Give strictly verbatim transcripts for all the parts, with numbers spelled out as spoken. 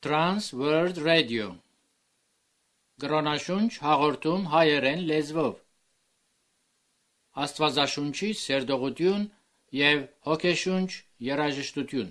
Trans World Radio Գրոնաշունչ հաղորդում հայերեն լեզվով Աստվածաշունչի սերտողություն և հոգեշունչ երաժշտություն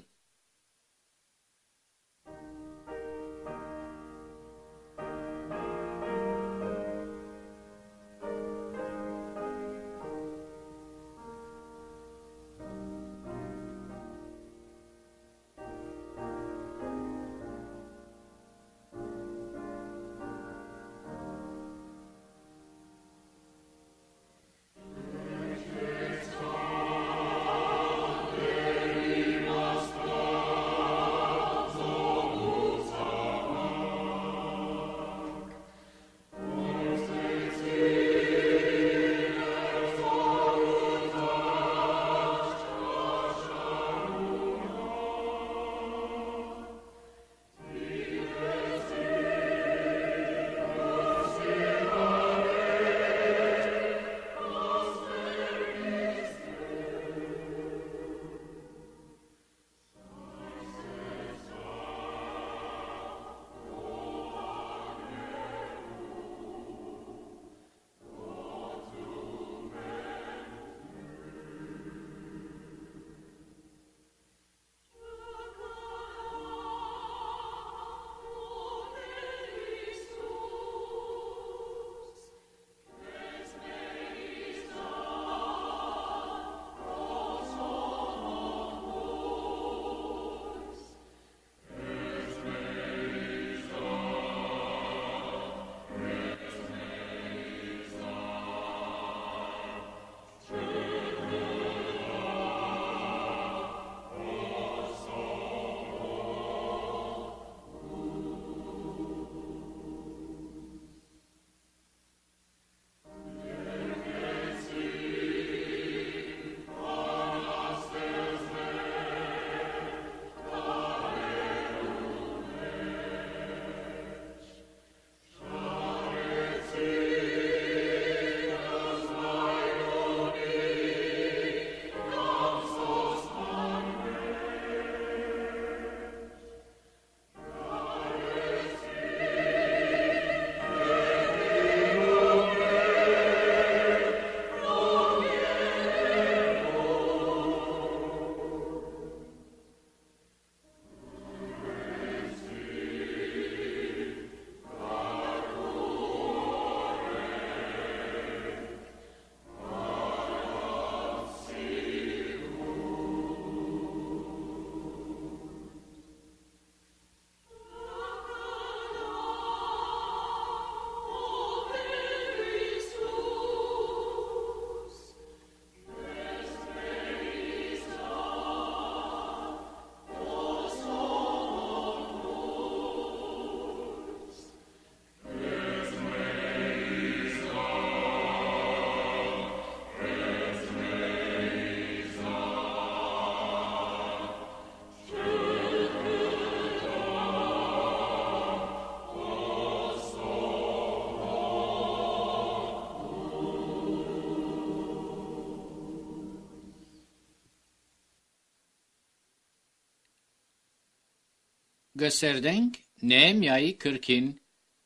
Գսերդենք Նեեմիայի գրքին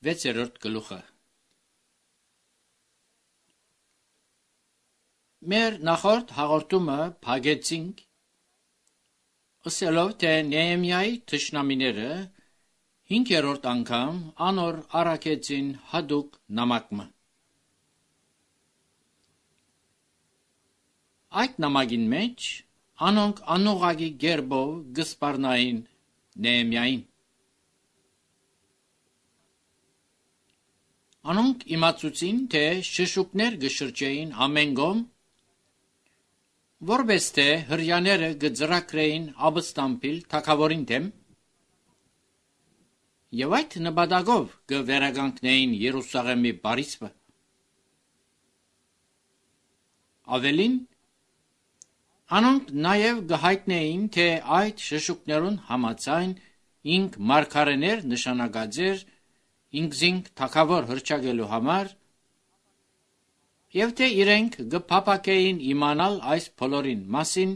վեցերորդ գլուխը Մեր նախորդ հաղորդումը փակեցինք ասելով թե Նեեմիայի թշնամիները հինգերորդ անգամ անոր առաքեցին հատուկ նամակը Այդ նամակին մեջ անոնք անուղագի գերբով գսպառնային Նեեմիային Անոնք իմացուցին, թե շշուկներ գշրջեին ամեն գոմ, որպես թե հրյաները գծրակրեին աբստամբիլ թագավորին դեմ, եւ այդ նպատակով գվերագանքնեին Երուսաղեմի բարիսպը։ Ավելին, անոնք նաև գհայտնեին, թե այդ շշուկներուն համաձայն ինք մարգարեներ նշանակած էր ինքզինք թագավոր հրճագելու համար եւ թե իրենք գփապակեին իմանալ այս բոլորին մասին,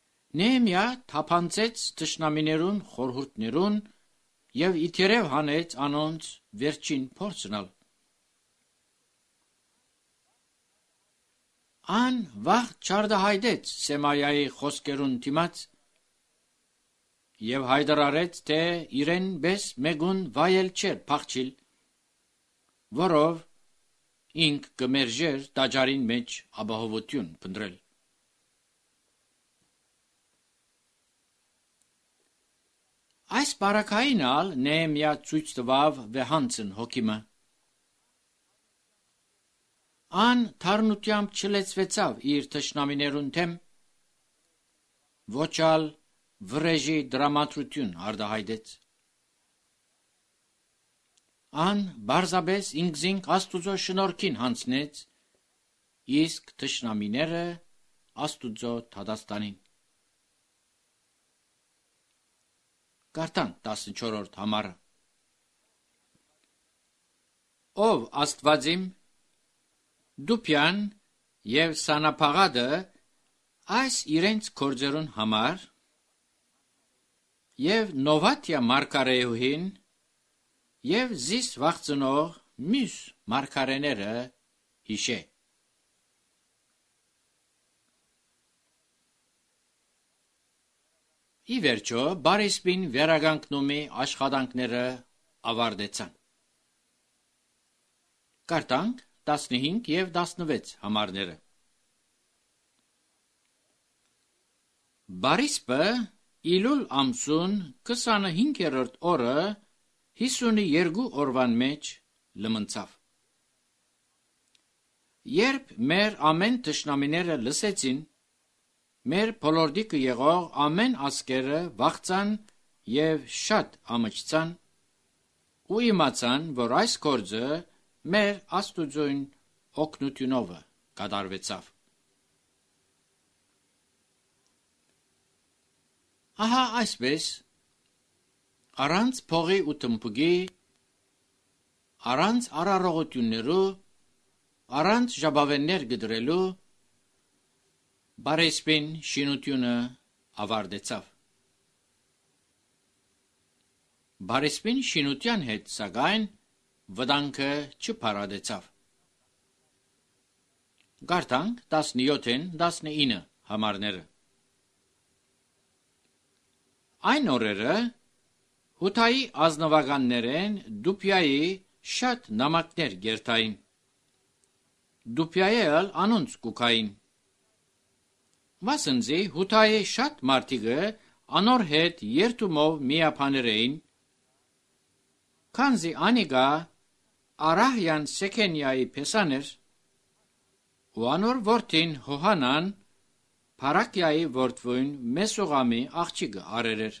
Նեհեմիա թափանցեց թշնամիներուն խորհուրդներուն եւ իթերև հանեց անոնց վերջին փորձնալ։ Ան վաղ չարդահայտեց Սեմայայի խոսքերուն դիմաց եւ հայտարարեց, թե իրեն բես մեգուն վայել չէր փախչիլ, որով ինք կմերժեր տաճարին մեջ ապահովություն փնտրել։ Այս բարակային ալ Նեհեմիա ցույց տվավ վեհանցն հոգիմը։ Ան թարնությամբ չլեցվեցավ իր թշնամիներուն թեմ, ոչալ վրեժի դրամատրություն արդահայտեց։ Ան բարձաբես ինքզինք Աստուծո շնորհքին հանցնեց, իսկ թշնամիները Աստուծո թադաստանին։ Կարդանք տասնչորրորդ համարը։ Ով Աստվածիմ, Դուփյան եւ Սանափաղադը այս իրենց կորձերուն համար եւ Նովատիա մարգարեուհին եւ զիս վախծնող մյուս մարգարեները հիշե։ Ի վերջո բարիսպին վերագանքնումի աշխատանքները ավարտեցան։ Կարդանք տասնհինգ եւ տասնվեց համարները։ Բարիսպը Իլուլ ամսուն քսանհինգերորդ օրը հիսունյոթ օրվան մեջ լմնցավ։ Երբ մեր ամեն թշնամիները լսեցին, մեր փոլորդիկը եղող ամեն ասկերը վախցան եւ շատ ամճցան ու իմացան, որ այս գործը մեր Աստուծոյն օգնությունով կատարվեցավ։ Ահա այսպես, առանց փողի ու թմփուկի, առանց արարողություններու, առանց ժապավեններ գդրելու, բարեսպին շինությունը ավարտեցավ։ Բարեսպին շինության հետ սակայն վտանգը չփարադեցավ։ Կարդանք տասնյոթին տասնինը համարները։ Այն օրերը Հութայի ազնվականներեն Դուփյայի շատ նամակներ գերտային։ Դուփյայը անոնց կուքային։ Վասնձի Հութայի շատ մարդիկը անոր հետ երթումով միապաներ էին, քանզի անիկա Արահյան Սեքենյայի փեսաներ, ու անոր որդին Հոհանան Փարակյայի որդվույն Մեսուղամի աղջիկը արերեր։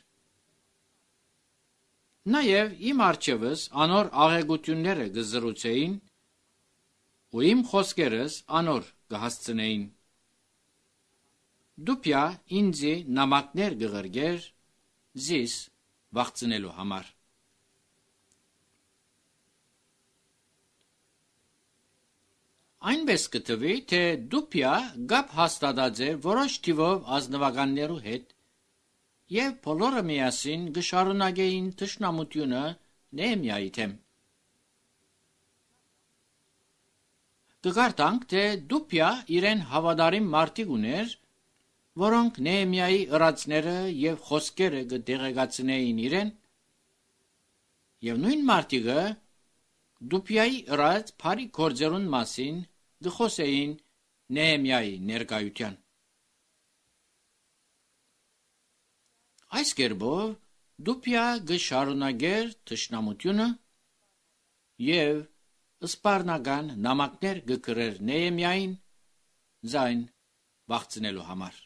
Նաև իմ արջևս անոր աղեգությունները գզրուցեին, ու իմ խոսքերս անոր կհասցնեին։ Դուփյա ինձի նամակներ գղրգեր զիս վախցնելու համար։ Այնպես կտվի, թե Դուփյա գապ հաստատած է որոշ թիվով ազնվականներու հետ եւ բոլորը միասին գշարունակեին թշնամությունը Նեհեմիայի թեմ։ Կգարտանք, թե Դուփյա իրեն հավատարիմ մարդիկ ուներ, որոնք Նեհեմիայի ըրացները եւ խոսքերը կդեղեկացնեին իրեն, եւ նույն մարդիկը Դուփյայի ըրած բարի գործերուն մասին գխոսեին Նեհեմիայի ներկայության։ Այս կերպով Դուփյա գշարունակեր թշնամությունը եւ սպառնական նամակներ գկրեր Նեհեմիային զայն վախցնելու համար։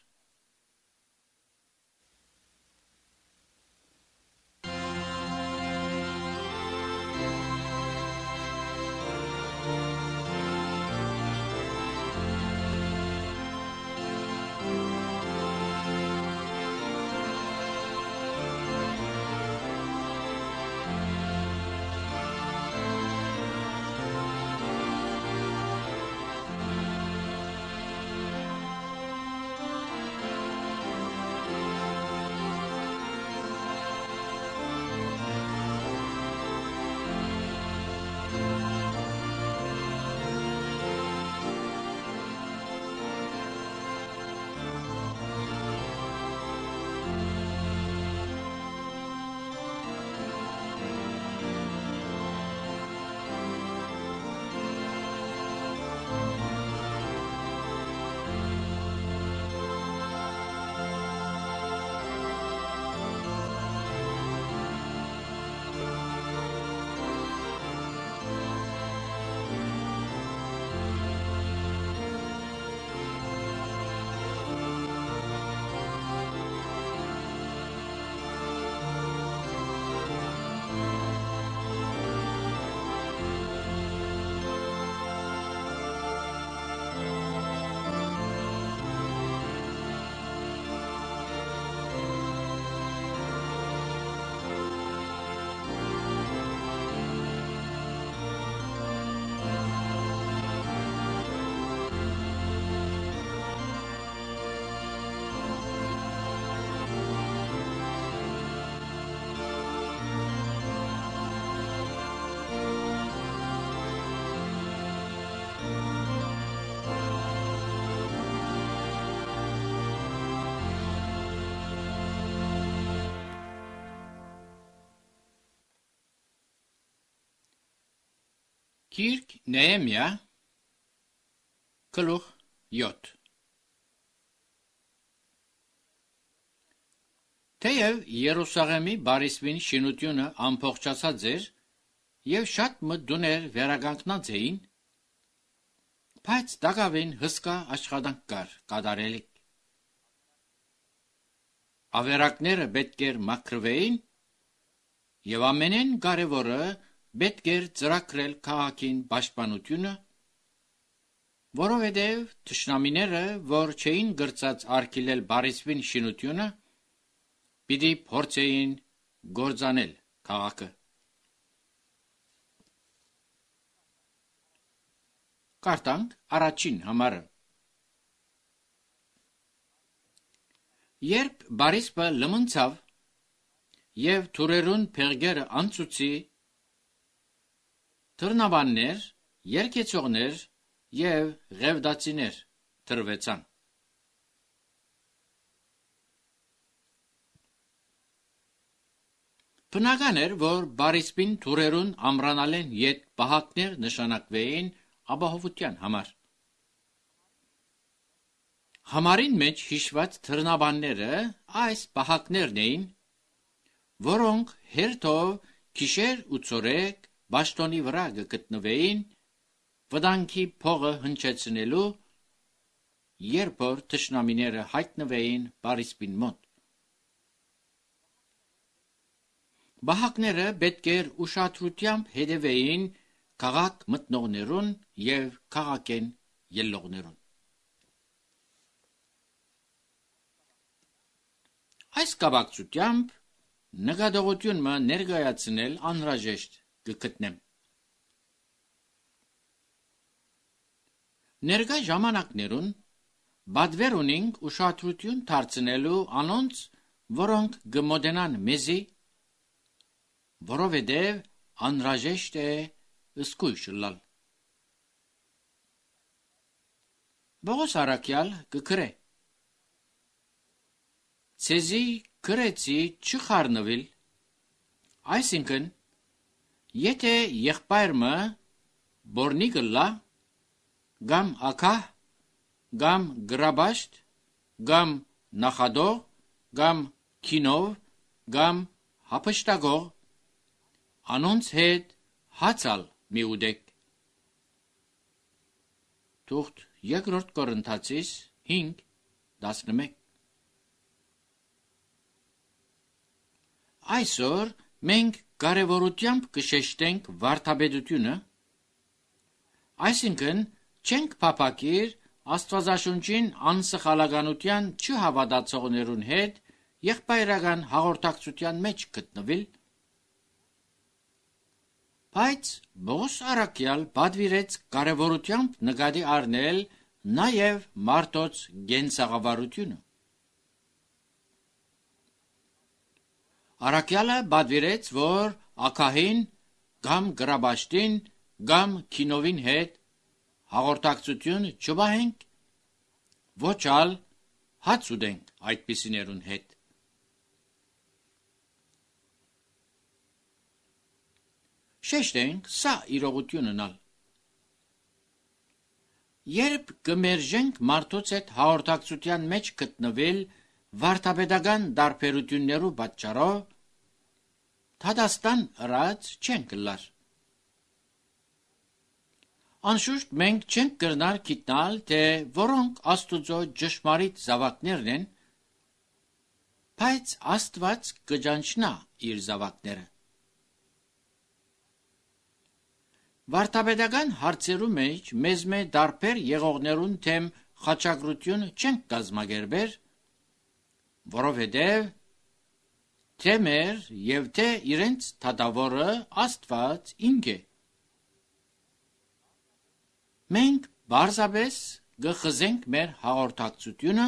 Գիրք Նեեմիա գլուխ յոթ Թեև Երուսաղեմի բարիսպին շինությունը ամփոփչացած էր եւ շատ մտդուներ վերականգնած էին, բայց դակավին հսկա աշխատանք կար կատարելիք։ Ավերակները պետք էր մաքրվեին եւ ամենեն կարևորը պետք էր ծրագրել քաղաքին պաշտպանությունը, որովհետեւ թշնամիները, որ չէին գրծած արգելել բարիսպին շինությունը, պիտի փորձեին գործանել քաղաքը։ Կարդանք առաջին համարը։ Երբ բարիսպը լմնցավ եւ թուրերուն փեղգերը անցուցի, թռնավաններ, երկեցողներ եւ ղևդացիներ թրվեցան։ Բնական էր, որ բարիսպին թուրերուն ամրանալեն ետ պահակներ նշանակվեին ապահովության համար։ Համարին մեջ հիշված թռնավանները այս պահակներն էին, որոնք հերթով գիշեր ու ցորեկ բաշտոնի վրա գտնվեին վտանգի փողը հնչեցնելու, երբ որ թշնամիները հայտնվեին բարիսպին մոտ։ Պահակները պետք էր ուշադրությամբ հետևեին քաղաք մտնողներուն եւ քաղաքեն ելնողներուն։ Այս կապակցությամբ նկատողությունը ներկայացնել անհրաժեշտ կգտնեմ։ Ներկա ժամանակներուն բադվեր ունենք ուշադրություն դարձնելու անոնց, որոնք գմոդենան մեզի, որովհետև անհրաժեշտ է զգույշ լալ։ Պողոս առաքյալ կգրե. Ցեզի գրեցի չխառնվել, այսինքն, եթե եղբայրը բորնի գլա, գամ ակահ, գամ գրաբաշտ, գամ նախադող, գամ քինով, գամ հապշտագող, անոնց հետ հացալ մի ուդեք։ Թուղթ երկրորդ Կորինթացիս հինգ տասնմեկ։ Այսօր մենք կարևորությամբ կշեշտենք վարդապետությունը, այսինքն չենք փափակիր Աստվածաշունչին անսխալականության չհավատացողներուն հետ եղբայրական հաղորդակցության մեջ գտնվել, բայց Պողոս առաքյալ պատվիրեց կարևորությամբ նկատի առնել նաև մարդոց գենսաղավարությունը։ Առաքյալը պատվիրեց, որ ակահին կամ գրաբաշտին կամ քինովին հետ հաղորդակցություն չպահենք, ոչ ալ հաց ուտենք այդպիսիներուն հետ։ Շեշտենք սա իրողությունն ալ։ Երբ կմերժենք մարդոց հետ հաղորդակցության մեջ գտնվել վարդապետական դարբերություններու պատճառով, դատաստան ըրած չենք լար։ Անշուշտ մենք չենք կրնար գիտնալ, թե որոնք Աստուծո ճշմարիտ զավակներն են, բայց Աստված կճանչնա իր զավակները։ Վարդապետական հարցերու մեջ մեզ մե դարբեր եղողներուն թեմ խաչակրություն չենք կազմակերպեր, որովհետև թե մեր եւ թե իրենց թագավորը Աստված ինք է։ Մենք բարձաբես գխզենք մեր հաղորդակցությունը,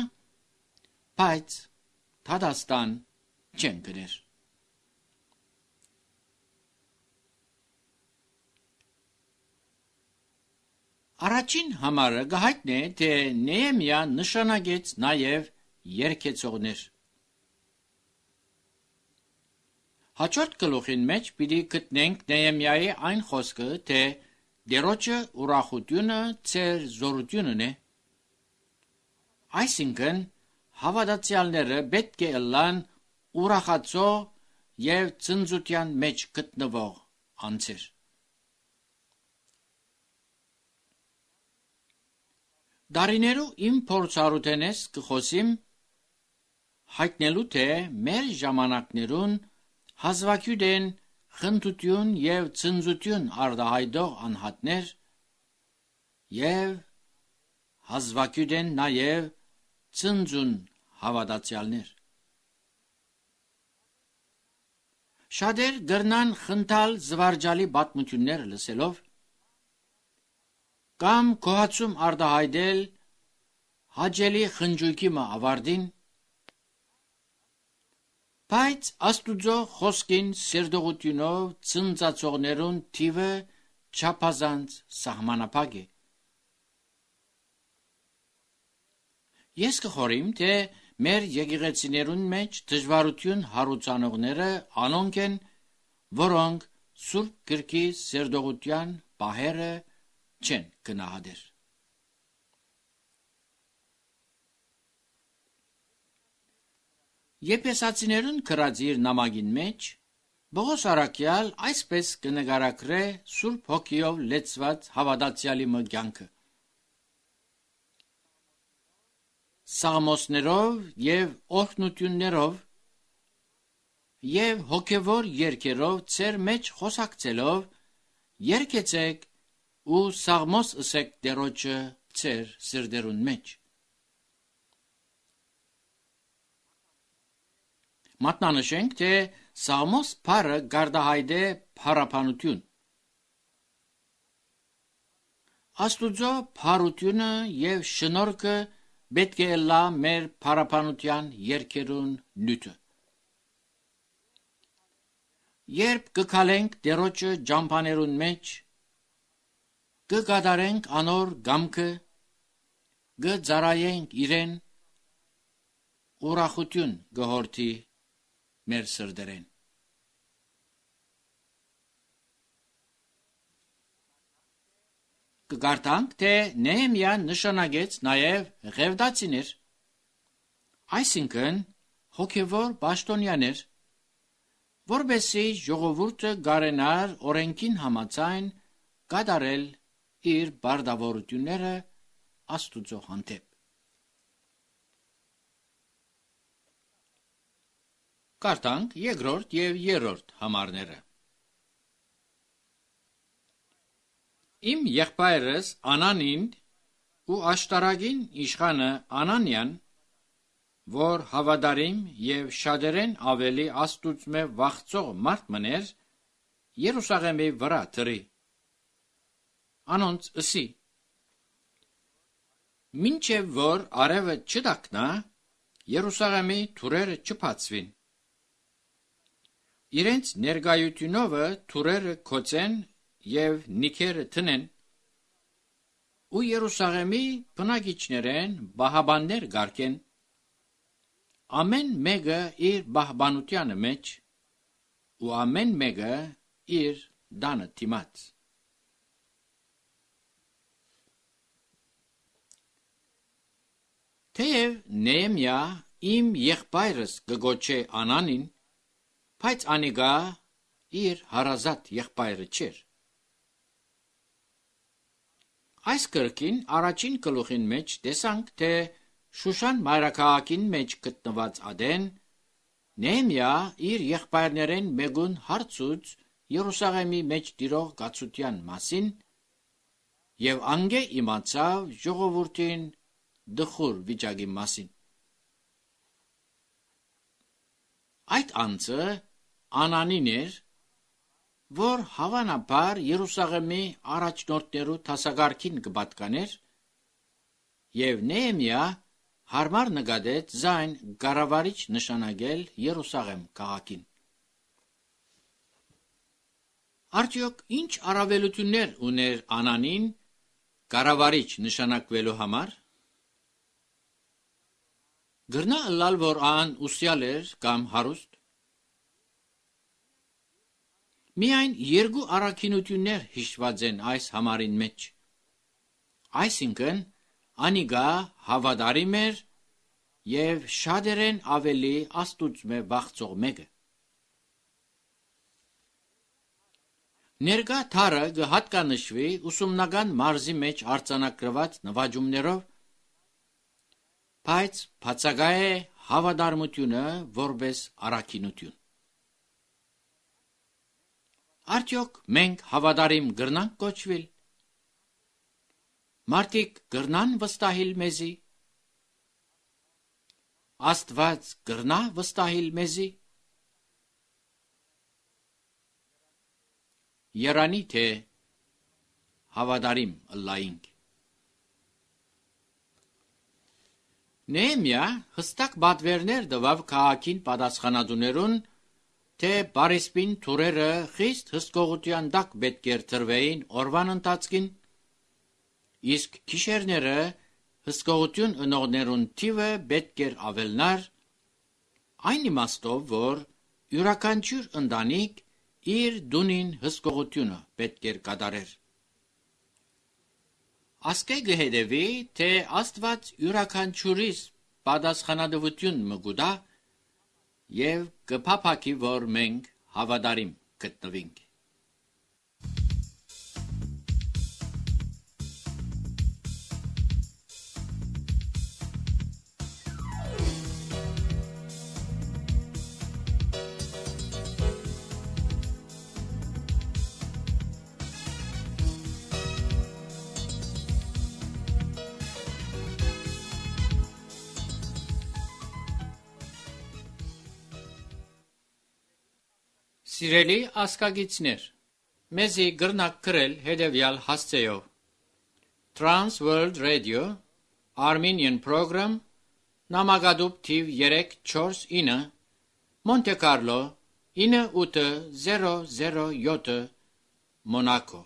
բայց դատաստան չենք գներ։ Առաջին համարը գահիտնե, թե Նեեմիա նշանագեց նաև երկեցողներ։ Հաջորդ գլուխին մեջ պիտի գտնենք Նեեմիայի այն խոսքը, թե դերոջը ուրախությունը ծեր զորությունն է։ Այսինքն հավատացյալները պետք է ըլլան ուրախացող եւ ծնծության մեջ գտնվող անձեր։ Դարիներու իմ փորձառութենես կխոսիմ հայտնելու թե մեր ժամանակներուն հազվագյուտ են խնդություն եւ ծնծություն արտահայտող անհատներ եւ հազվագյուտ են նաեւ ծնծուն հավատացյալներ։ Շատեր գրնան խնդալ զվարճալի պատմություններ լսելով կամ կոհացում արտահայտել հաճելի խնջույքի մը ավարտին, բայց Աստուծո խոսքին սերտողությունով ծնծացողներուն թիվը չափազանց սահմանափակ է։ Ես կխորիմ, թե մեր եկեղեցիներուն մեջ դժվարություն հարուցանողները անոնք են, որոնք Սուրբ Գրքի սերտողության պահերը չեն գնահատեր։ Եփեսացիներուն գրած իր նամակին մեջ Պողոս առաքյալ այսպես կնկարագրե Սուրբ Հոգիով լեցված հավատացյալի մը կյանքը։ Սաղմոսներով եւ օրհնություններով եւ հոգեվոր երգերով ծեր մեջ խոսակցելով երգեցեք ու սաղմոս ըսեք դերոջը ծեր սրդերուն մեջ։ Մատնանշենք, թե սաղմոս բառը գարդահայտ է փառաբանություն։ Աստուծո փառությունը եւ շնորհքը պետք է լա մեր փառաբանության երգերուն նյութը։ Երբ կգալենք դերոջը ջամփաներուն մեջ, կգադարենք անոր գամքը, կծարայենք իրեն, ուրախություն գհորթի մեր սրդերեն։ Կգարտանք, թե Նեհեմիան նշանակեց նաև ղևդացիներ, այսինքն հոգևոր պաշտոնյաներ, որպեսզի ժողովուրդը գարենար օրենքին համաձայն կատարել իր բարդավորությունները Աստուծո հանդեպ։ Կարդանք երկրորդ եւ երրորդ համարները։ Իմ եղբայրս Անանին ու աշտարակին իշխանը Անանյան, որ հավատարիմ եւ շատերեն ավելի Աստուծմե վախծող մարդ մներ, Երուսաղեմի վրա դրի։ Անոնց ըսի. Մինչև որ արևը չդակնա, Երուսաղեմի թուրերը չփածվին։ Իրենց ներկայությունովը թուրերը կոծեն եւ նիքերը տնեն, ու Երուսաղեմի բնակիչներեն բահաբաններ գարկեն, ամեն մեկը իր բահբանությանը մեջ, ու ամեն մեկը իր դանը դիմաց։ Թեև Նեհեմիա իմ եղբայրս կգոչե Անանին, բայց անիկա իր հարազատ եղբայրը չէր։ Այս գրքին առաջին գլուխին մեջ տեսանք, թե Շուշան մայրաքաղաքին մեջ գտնված ադեն Նեհեմիա իր եղբայրներեն մեկուն հարցուց Երուսաղեմի մեջ տիրող գացության մասին եւ անգե իմացավ ժողովրդին դխուր վիճակի մասին։ Այդ անձը Անանին էր, որ հավանաբար Երուսաղեմի առաջնորդներու դասակարգին կպատկաներ, եւ Նեհեմիա հարմար նկատեց զայն կառավարիչ նշանակել Երուսաղեմ քաղաքին։ Արդյոք ինչ առավելություններ ուներ Անանին կառավարիչ նշանակվելու համար։ Գրնա ըլլալ, որ ան ուսյալ էր կամ հարուստ։ Միայն երկու առաքինություններ հիշված են այս համարին մեջ։ Այսինքն, անիգա հավատարիմ էր եւ շատերեն ավելի Աստուծմե վախծող մեկը։ Ներկա թարը կհատկանշվի ուսումնական մարզի մեջ արձանագրված նվաճումներով, բայց բացակայ է հավատարմությունը որպես առաքինություն։ Արդյոք մենք հավատարիմ կրնանք կոչվել։ Մարդիկ կրնան վստահիլ մեզի։ Աստված կրնա վստահիլ մեզի։ Երանի թե հավատարիմ ըլլայինք։ Նեհեմիա հստակ պատվերներ տվավ քաղաքին պատասխանատուներուն, թե Պարիսպին թուրերը խիստ հսկողության տակ պետք էր տրվեին օրվան ընթացքին, իսկ գիշերները հսկողություն ընողներուն թիվը պետք էր ավելնար, այն իմաստով, որ յուրաքանչյուր ընտանիք իր դունին հսկողությունը պետք էր կատարեր։ Ասկե կհետևի, թե Աստված յուրաքանչյուրիս պատասխանատվություն մգուտա եւ կփափակի, որ մենք հավատարիմ գտնվենք։ Սիրելի ասկագիցներ, մեզի գրնակ գրել հետևյալ հասցեով. Trans World Radio, Armenian Program, նամակադուփ թիվ երեք չորս ինը, Monte Carlo ինը ութ զերո զերո յոթ, Monaco։